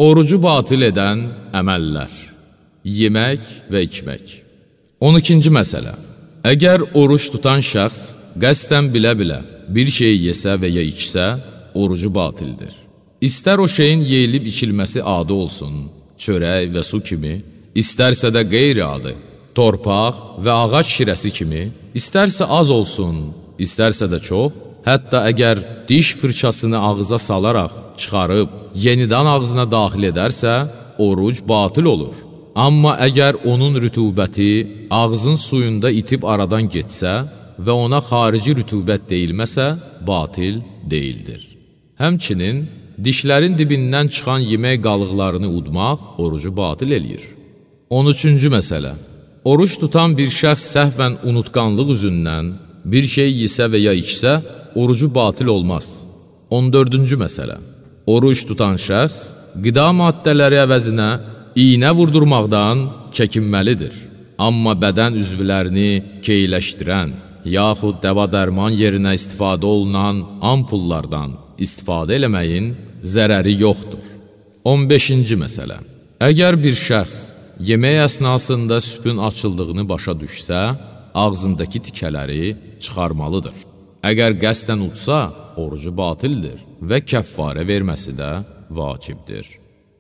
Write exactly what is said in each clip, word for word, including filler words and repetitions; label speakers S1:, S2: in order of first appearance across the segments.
S1: Orucu batil edən əməllər. Yemək və içmək. on ikinci məsələ. Əgər oruç tutan şəxs qəsdən bilə-bilə bir şey yesə və ya içsə, orucu batildir. İstər o şeyin yeyilib içilməsi adi olsun, çörək və su kimi, istərsə də qeyri-adi, torpaq və ağac şirəsi kimi, istərsə az olsun, istərsə də çox, hətta əgər diş fırçasını ağıza salaraq çıxarıb, yenidən ağzına daxil edərsə, oruc batil olur. Amma əgər onun rütubəti ağzın suyunda itib aradan getsə və ona xarici rütubət deyilməsə, batil deyildir. Həmçinin, dişlərin dibindən çıxan yemək qalıqlarını udmaq orucu batil eləyir. on üçüncü məsələ. Oruç tutan bir şəxs səhvən unutqanlıq üzündən bir şey yesə və ya içsə, orucu batil olmaz. on dördüncü məsələ. Oruç tutan şəxs qida maddələri əvəzinə iynə vurdurmaqdan çəkinməlidir. Amma bədən üzvlərini keyləşdirən, yaxud dəva-dərman yerinə istifadə olunan ampullardan istifadə eləməyin zərəri yoxdur. on beşinci məsələ. Əgər bir şəxs yemək əsnasında süpün açıldığını başa düşsə, ağzındakı tikələri çıxarmalıdır. Əgər qəsdən utsa, orucu batildir və kəffarə verməsi də vacibdir.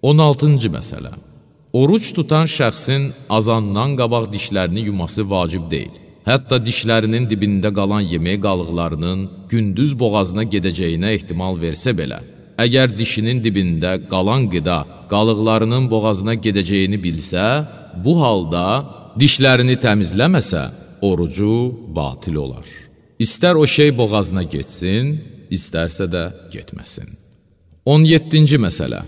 S1: on altıncı məsələ. Oruç tutan şəxsin azandan qabaq dişlərini yuması vacib deyil. Hətta dişlərinin dibində qalan yemək qalıqlarının gündüz boğazına gedəcəyinə ehtimal versə belə, əgər dişinin dibində qalan qida qalıqlarının boğazına gedəcəyini bilsə, bu halda dişlərini təmizləməsə, orucu batil olar. İstər o şey boğazına getsin, istərsə də getməsin. on yeddinci məsələ.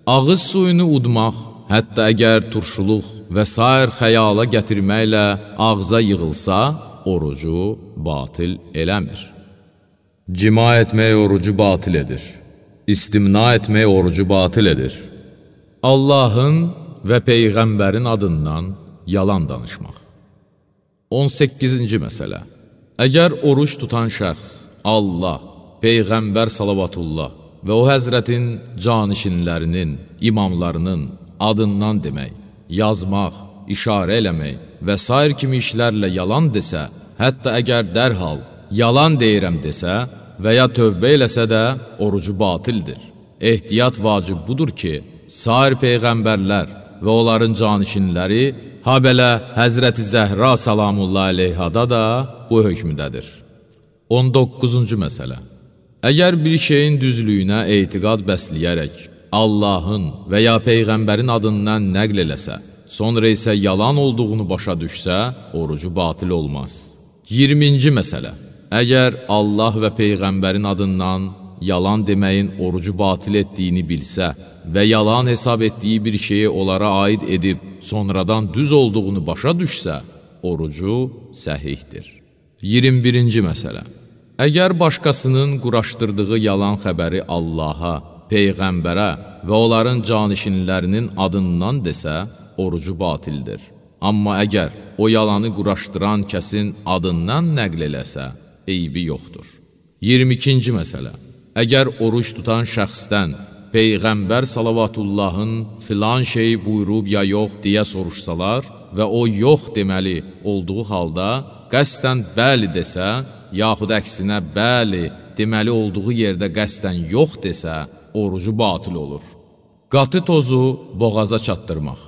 S1: Ağız suyunu udmaq, hətta əgər turşuluq və sair xəyala gətirməklə ağza yığılsa, orucu batil eləmir. Cima etmək orucu batil edir. İstimna etmək orucu batil edir. Allahın və Peyğəmbərin adından yalan danışmaq. on səkkizinci məsələ. Əgər oruç tutan şəxs Allah, Peyğəmbər salavatullah və o həzrətin canişinlərinin, imamlarının adından demək, yazmaq, işarə eləmək və sair kimi işlərlə yalan desə, hətta əgər dərhal yalan deyirəm desə və ya tövbə eləsə də orucu batildir. Ehtiyat vacib budur ki, sair peyğəmbərlər və onların canişinləri, ha belə Həzrəti Zəhra salamullah aleyhada da bu hökmüdədir. on doqquzuncu məsələ. Əgər bir şeyin düzlüyünə etiqad bəsləyərək, Allahın və ya Peyğəmbərin adından nəql eləsə, sonra isə yalan olduğunu başa düşsə, orucu batil olmaz. iyirminci məsələ. Əgər Allah və Peyğəmbərin adından yalan deməyin orucu batil etdiyini bilsə və yalan hesab etdiyi bir şeyi onlara aid edib, sonradan düz olduğunu başa düşsə, orucu səhihdir. iyirmi birinci məsələ. Əgər başqasının quraşdırdığı yalan xəbəri Allaha, Peyğəmbərə və onların canişinlərinin adından desə, orucu batildir. Amma əgər o yalanı quraşdıran kəsin adından nəql eləsə, eybi yoxdur. iyirmi ikinci məsələ. Əgər oruç tutan şəxsdən Peyğəmbər salavatullahın filan şeyi buyurub ya yox deyə soruşsalar və o yox deməli olduğu halda qəsdən bəli desə, yaxud əksinə bəli deməli olduğu yerdə qəsdən yox desə, orucu batil olur. Qatı tozu boğaza çatdırmaq.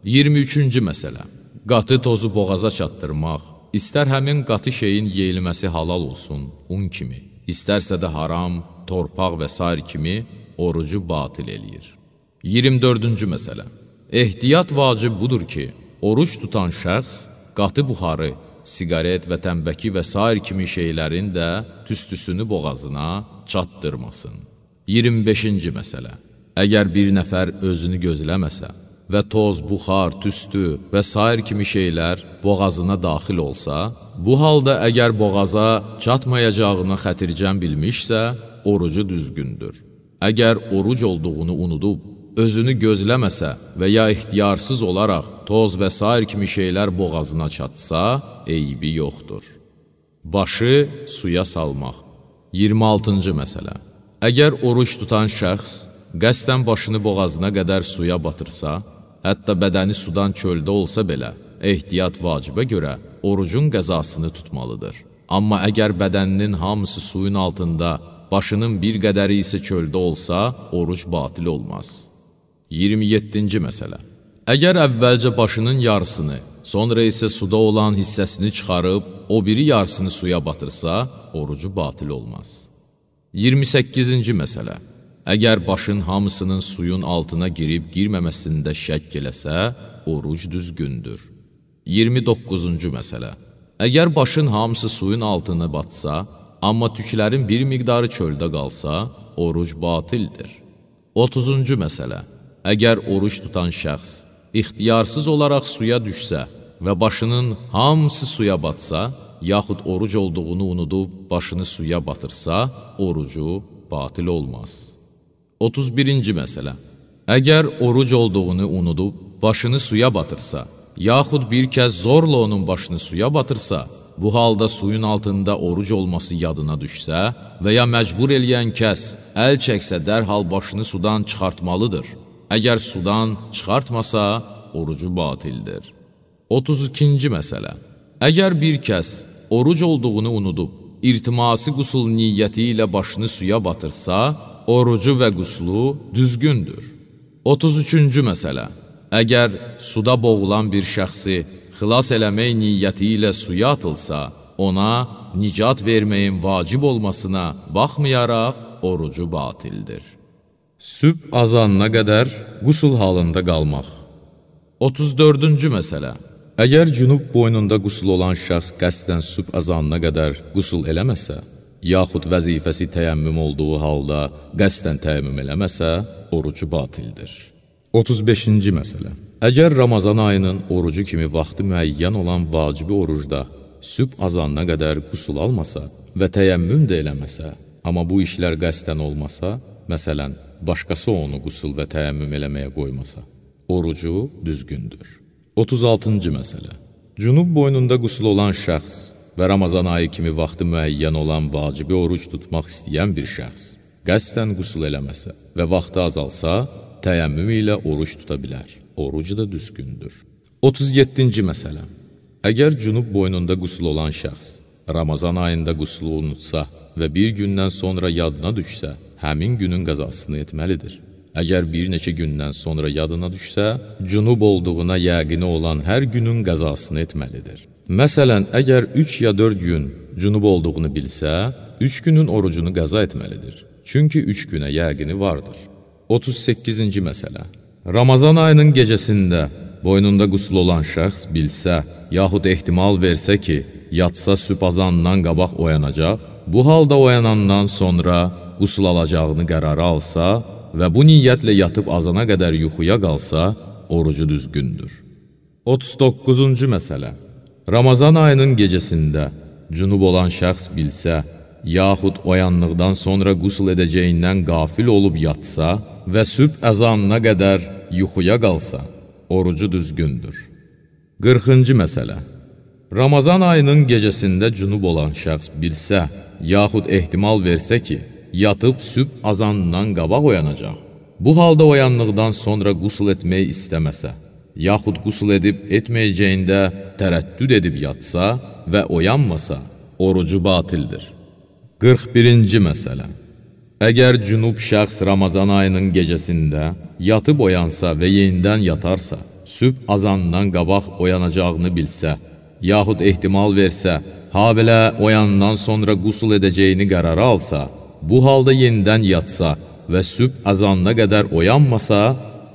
S1: iyirmi üçüncü məsələ. Qatı tozu boğaza çatdırmaq, istər həmin qatı şeyin yeyilməsi halal olsun, un kimi, istərsə də haram, torpaq və sair kimi orucu batil eləyir. iyirmi dördüncü məsələ. Ehtiyat vacib budur ki, oruç tutan şəxs qatı buxarı, siqaret və tənbəki və sair kimi şeylərin də tüstüsünü boğazına çatdırmasın. iyirmi beşinci məsələ. Əgər bir nəfər özünü gözləməsə və toz, buxar, tüstü və sair kimi şeylər boğazına daxil olsa, bu halda əgər boğaza çatmayacağına xətircəm bilmişsə, orucu düzgündür. Əgər oruc olduğunu unudub, özünü gözləməsə və ya ixtiyarsız olaraq toz və sair kimi şeylər boğazına çatsa, eybi yoxdur. Başı suya salmaq. iyirmi altıncı məsələ. Əgər oruç tutan şəxs qəsdən başını boğazına qədər suya batırsa, hətta bədəni sudan çöldə olsa belə, ehtiyat vacibə görə orucun qəzasını tutmalıdır. Amma əgər bədəninin hamısı suyun altında, başının bir qədəri isə çöldə olsa, oruc batil olmaz. iyirmi yeddinci məsələ. Əgər əvvəlcə başının yarısını, sonra isə suda olan hissəsini çıxarıb, o biri yarısını suya batırsa, orucu batil olmaz. iyirmi səkkizinci məsələ. Əgər başın hamısının suyun altına girib girməməsində şəkk eləsə, oruc düzgündür. iyirmi doqquzuncu məsələ. Əgər başın hamısı suyun altına batsa, amma tüklərin bir miqdarı çöldə qalsa, oruc batildir. otuzuncu məsələ. Əgər oruc tutan şəxs ixtiyarsız olaraq suya düşsə və başının hamısı suya batsa, yaxud oruc olduğunu unudub başını suya batırsa, orucu batil olmaz. otuz birinci məsələ. Əgər oruc olduğunu unudub başını suya batırsa, yaxud bir kəz zorla onun başını suya batırsa, bu halda suyun altında oruc olması yadına düşsə və ya məcbur eləyən kəs əl çəksə dərhal başını sudan çıxartmalıdır. Əgər sudan çıxartmasa, orucu batildir. otuz ikinci məsələ. Əgər bir kəs oruc olduğunu unudub, irtiması qusul niyyəti ilə başını suya batırsa, orucu və quslu düzgündür. otuz üçüncü məsələ. Əgər suda boğulan bir şəxsi xilas eləmək niyyəti ilə suya atılsa, ona nicat verməyin vacib olmasına baxmayaraq orucu batildir. Sübh azanına qədər qusul halında qalmaq. otuz dördüncü məsələ. Əgər cünub boynunda qusul olan şəxs qəsdən sübh azanına qədər qusul eləməsə, yaxud vəzifəsi təyəmmüm olduğu halda qəsdən təyəmmüm eləməsə, orucu batildir. otuz beşinci məsələ. Əgər Ramazan ayının orucu kimi vaxtı müəyyən olan vacibi orucda sübh azanına qədər qusul almasa və təyəmmüm də eləməsə, amma bu işlər qəsdən olmasa, məsələn, başqası onu qusul və təyəmmüm eləməyə qoymasa, orucu düzgündür. otuz altıncı məsələ. Cünub boynunda qusul olan şəxs və Ramazan ayı kimi vaxtı müəyyən olan vacibi oruc tutmaq istəyən bir şəxs qəsdən qusul eləməsə və vaxtı azalsa, təyəmmüm ilə oruc tuta bilər. Oruc da düzgündür. otuz yeddinci məsələ. Əgər cünub boynunda qusul olan şəxs Ramazan ayında qusulu unutsa və bir gündən sonra yadına düşsə, həmin günün qəzasını etməlidir. Əgər bir neçə gündən sonra yadına düşsə, cünub olduğuna yəqini olan hər günün qəzasını etməlidir. Məsələn, əgər üç ya dörd gün cünub olduğunu bilsə, üç günün orucunu qəza etməlidir. Çünki üç günə yəqini vardır. otuz səkkizinci məsələ. Ramazan ayının gecəsində boynunda qusul olan şəxs bilsə, yaxud ehtimal versə ki, yatsa sübh azanından qabaq oyanacaq, bu halda oyanandan sonra qusul alacağını qərara alsa və bu niyyətlə yatıb azana qədər yuxuya qalsa, orucu düzgündür. otuz doqquzuncu məsələ. Ramazan ayının gecəsində cünub olan şəxs bilsə, yaxud oyanlıqdan sonra qusul edəcəyindən qafil olub yatsa və sübh əzanına qədər yuxuya qalsa, orucu düzgündür. qırxıncı məsələ. Ramazan ayının gecəsində cünub olan şəxs bilsə, yaxud ehtimal versə ki, yatıb sübh azanından qabaq oyanacaq. Bu halda oyanlıqdan sonra qusul etmək istəməsə, yaxud qusul edib etməyəcəyində tərəddüd edib yatsa və oyanmasa, orucu batildir. qırx birinci məsələ. Əgər cünub şəxs Ramazan ayının gecəsində yatıb oyansa və yenidən yatarsa, sübh azanından qabaq oyanacağını bilsə, yaxud ehtimal versə, ha belə oyandan sonra qusul edəcəyini qərara alsa, bu halda yenidən yatsa və sübh azanına qədər oyanmasa,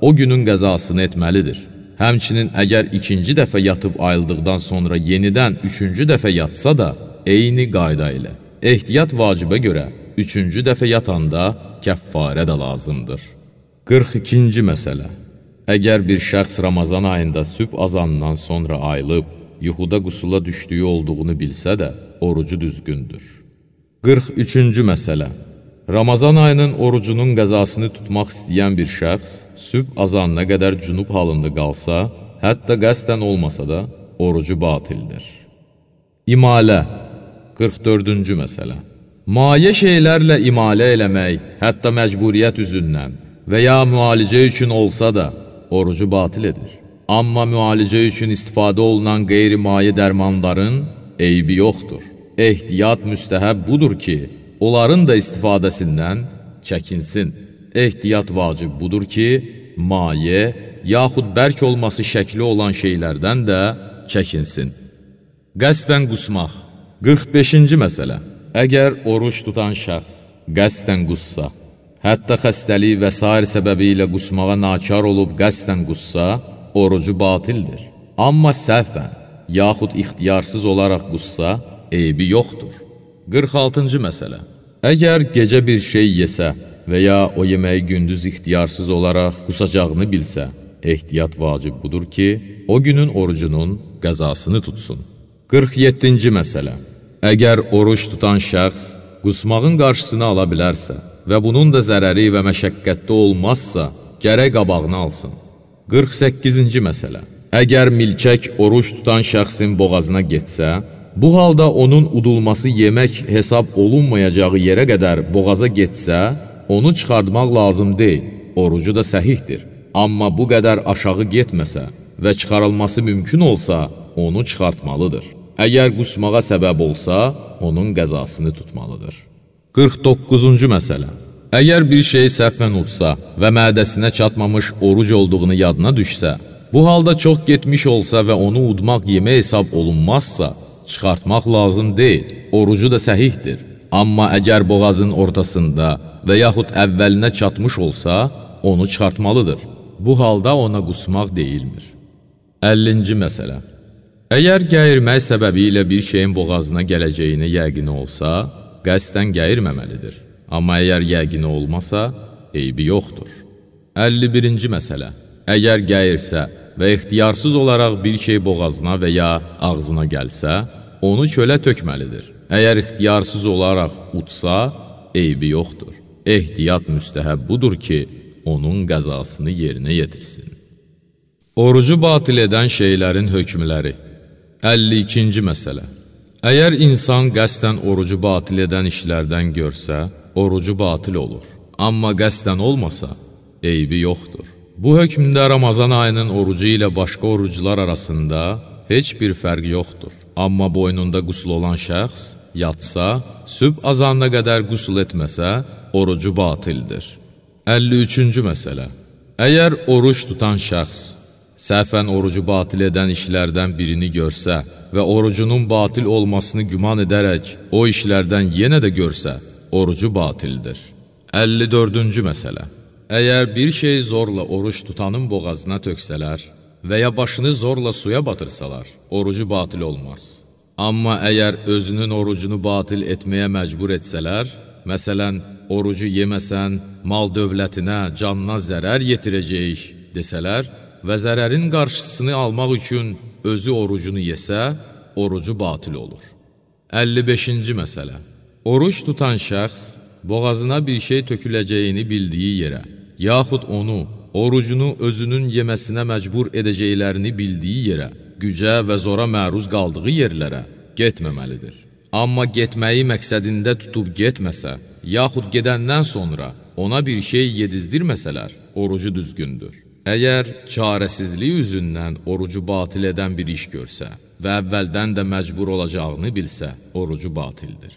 S1: o günün qəzasını etməlidir. Həmçinin əgər ikinci dəfə yatıb ayıldıqdan sonra yenidən üçüncü dəfə yatsa da, eyni qayda ilə. Ehtiyat vacibə görə üçüncü dəfə yatanda kəffarə də lazımdır. qırx ikinci məsələ. Əgər bir şəxs Ramazan ayında sübh azanından sonra ayılıb, yuxuda qusula düşdüyü olduğunu bilsə də, orucu düzgündür. qırx üçüncü məsələ. Ramazan ayının orucunun qəzasını tutmaq istəyən bir şəxs sübh azanına qədər cünub halında qalsa, hətta qəsdən olmasa da, orucu batildir. İmalə. qırx dördüncü məsələ. Mayə şeylərlə imalə eləmək, hətta məcburiyyət üzündən və ya müalicə üçün olsa da orucu batil edir. Amma müalicə üçün istifadə olunan qeyri-maye dərmanların eybi yoxdur. Ehtiyat müstəhəb budur ki, onların da istifadəsindən çəkinsin. Ehtiyat vacib budur ki, maye yaxud bərk olması şəkli olan şeylərdən də çəkinsin. Qəsdən qusmaq. qırx beşinci məsələ. Əgər oruç tutan şəxs qəsdən qussa, hətta xəstəlik və sair səbəbi ilə qusmağa nakar olub qəsdən qussa, orucu batildir. Amma səhvən, yaxud ixtiyarsız olaraq qussa, eybi yoxdur. qırx altıncı məsələ. Əgər gecə bir şey yesə və ya o yeməyi gündüz ixtiyarsız olaraq qusacağını bilsə, ehtiyat vacib budur ki, o günün orucunun qəzasını tutsun. qırx yeddinci məsələ. Əgər oruç tutan şəxs qusmağın qarşısını ala bilərsə və bunun da zərəri və məşəqqətli olmazsa, gərək qabağını alsın. qırx səkkizinci məsələ. Əgər milçək oruç tutan şəxsin boğazına getsə, bu halda onun udulması yemək hesab olunmayacağı yerə qədər boğaza getsə, onu çıxartmaq lazım deyil, orucu da səhihdir. Amma bu qədər aşağı getməsə və çıxarılması mümkün olsa, onu çıxartmalıdır. Əgər qusmağa səbəb olsa, onun qəzasını tutmalıdır. qırx doqquzuncu məsələ. Əgər bir şey səhvən utsa və mədəsinə çatmamış oruc olduğunu yadına düşsə, bu halda çox getmiş olsa və onu udmaq yemək hesab olunmazsa, çıxartmaq lazım deyil, orucu da səhihdir. Amma əgər boğazın ortasında və yaxud əvvəlinə çatmış olsa, onu çıxartmalıdır. Bu halda ona qusmaq deyilmir. əllinci məsələ. Əgər gəyirmək səbəbi ilə bir şeyin boğazına gələcəyini yəqini olsa, qəsdən gəyirməməlidir. Amma əgər yəqini olmasa, eybi yoxdur. əlli birinci məsələ. Əgər gəyirsə və ixtiyarsız olaraq bir şey boğazına və ya ağzına gəlsə, onu kölə tökməlidir. Əgər ixtiyarsız olaraq utsa, eybi yoxdur. Ehtiyat müstəhəb budur ki, onun qəzasını yerinə yetirsin. Orucu batil edən şeylərin hökmləri. əlli ikinci məsələ. Əgər insan qəsdən orucu batil edən işlərdən görsə, orucu batil olur. Amma qəsdən olmasa, eybi yoxdur. Bu hökmdə Ramazan ayının orucu ilə başqa orucular arasında heç bir fərq yoxdur. Amma boynunda qusl olan şəxs yatsa, sübh azanına qədər qusl etməsə, orucu batildir. əlli üçüncü məsələ. Əgər oruç tutan şəxs səhvən orucu batil edən işlərdən birini görsə və orucunun batil olmasını güman edərək o işlərdən yenə də görsə, orucu batildir. əlli dördüncü məsələ. Əgər bir şey zorla oruç tutanın boğazına töksələr və ya başını zorla suya batırsalar, orucu batil olmaz. Amma əgər özünün orucunu batil etməyə məcbur etsələr, məsələn, orucu yeməsən, mal dövlətinə, canına zərər yetirəcəyik desələr və zərərin qarşısını almaq üçün özü orucunu yesə, orucu batil olur. əlli beşinci məsələ. Oruç tutan şəxs boğazına bir şey töküləcəyini bildiyi yerə, yaxud onu, orucunu özünün yeməsinə məcbur edəcəklərini bildiyi yerə, gücə və zora məruz qaldığı yerlərə getməməlidir. Amma getməyi məqsədində tutub getməsə, yaxud gedəndən sonra ona bir şey yedizdirməsələr, orucu düzgündür. Əgər çarəsizlik üzündən orucu batil edən bir iş görsə və əvvəldən də məcbur olacağını bilsə, orucu batildir.